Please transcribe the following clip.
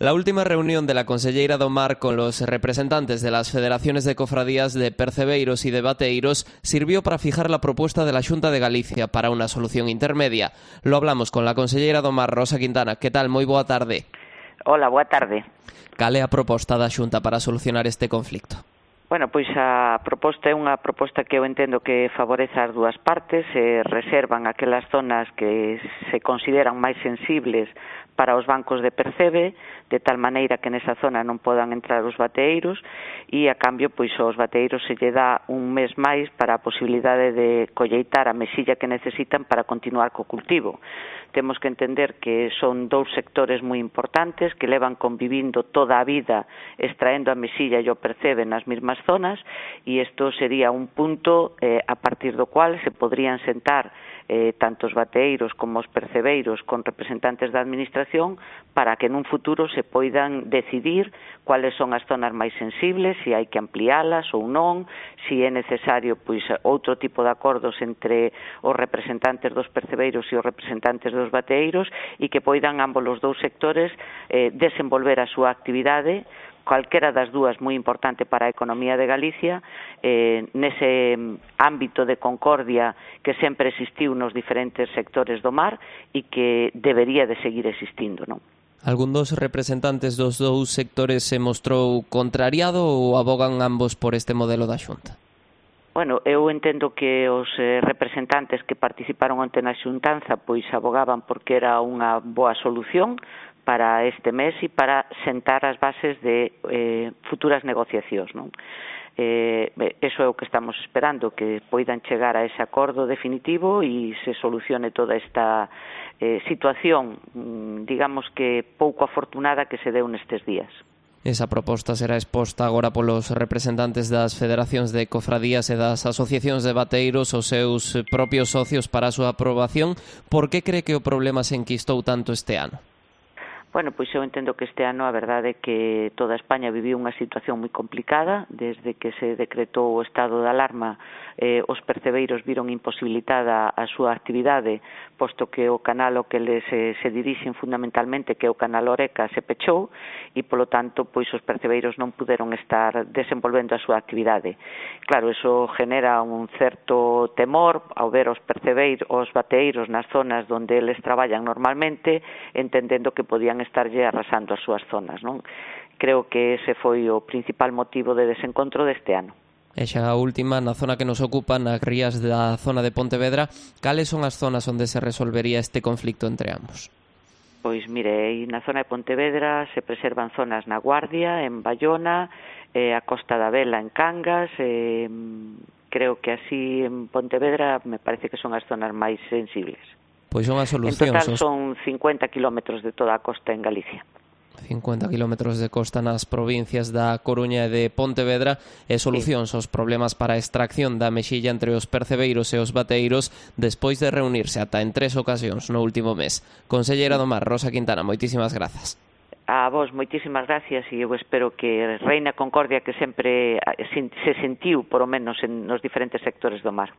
La última reunión de la Conselleira do Mar con los representantes de las federaciones de cofradías de percebeiros y de bateiros sirvió para fijar la propuesta de la Xunta de Galicia para una solución intermedia. Lo hablamos con la Conselleira do Mar, Rosa Quintana. Que tal? Moi boa tarde. Hola, boa tarde. Cal é a proposta da Xunta para solucionar este conflicto? Bueno, pois a proposta é unha proposta que eu entendo que favorece as dúas partes, reservan aquelas zonas que se consideran máis sensibles para os bancos de percebe, de tal maneira que nesa zona non podan entrar os bateeiros e, a cambio, pois aos bateeiros se lle dá un mes máis para a posibilidade de colleitar a mesilla que necesitan para continuar co cultivo. Temos que entender que son dous sectores moi importantes que levan convivindo toda a vida extraendo a mesilla e o percebe nas mesmas zonas e isto sería un punto a partir do cual se podrían sentar tanto os bateeiros como os percebeiros con representantes da administración para que nun futuro se poidan decidir cuáles son as zonas máis sensibles, se hai que ampliálas ou non, se é necesario pois outro tipo de acordos entre os representantes dos percebeiros e os representantes dos bateeiros e que poidan ambos os dous sectores desenvolver a súa actividade, calquera das dúas moi importante para a economía de Galicia, nese ámbito de concordia que sempre existiu nos diferentes sectores do mar e que debería de seguir existindo, non? Algún dos representantes dos dous sectores se mostrou contrariado ou abogan ambos por este modelo da Xunta? Bueno, eu entendo que os representantes que participaron onte na xuntanza pois abogaban porque era unha boa solución para este mes e para sentar as bases de futuras negociacións, non? Eso é o que estamos esperando, que poidan chegar a ese acordo definitivo e se solucione toda esta situación, digamos que pouco afortunada que se deu nestes días. Esa proposta será exposta agora polos representantes das federacións de cofradías e das asociacións de bateiros os seus propios socios para a súa aprobación. Por que cree que o problema se enquistou tanto este ano? Bueno, pois eu entendo que este ano a verdade é que toda España viviu unha situación moi complicada. Desde que se decretou o estado de alarma, os percebeiros viron imposibilitada a súa actividade, posto que o canal ao que les se dirixen fundamentalmente, que é o canal Oreca, se pechou e, polo tanto, pois os percebeiros non puderon estar desenvolvendo a súa actividade. Claro, eso genera un certo temor ao ver os percebeiros, os bateeiros nas zonas onde eles traballan normalmente, entendendo que podían estarlle arrasando as súas zonas, non? Creo que ese foi o principal motivo de desencontro deste ano. E xa a última, na zona que nos ocupa, nas rías da zona de Pontevedra, cales son as zonas onde se resolvería este conflicto entre ambos? Pois mire, na zona de Pontevedra se preservan zonas na Guardia, en Bayona, a Costa da Vela en Cangas, creo que así en Pontevedra me parece que son as zonas máis sensibles. Pois son as solucións. En total son 50 kilómetros de toda a costa en Galicia. 50 kilómetros de costa nas provincias da Coruña e de Pontevedra e solucións aos problemas para a extracción da mexilla entre os percebeiros e os bateiros despois de reunirse ata en 3 ocasións no último mes. Conselleira do Mar, Rosa Quintana, moitísimas grazas. A vos, moitísimas gracias e eu espero que reine a concordia que sempre se sentiu, por lo menos, nos diferentes sectores do mar.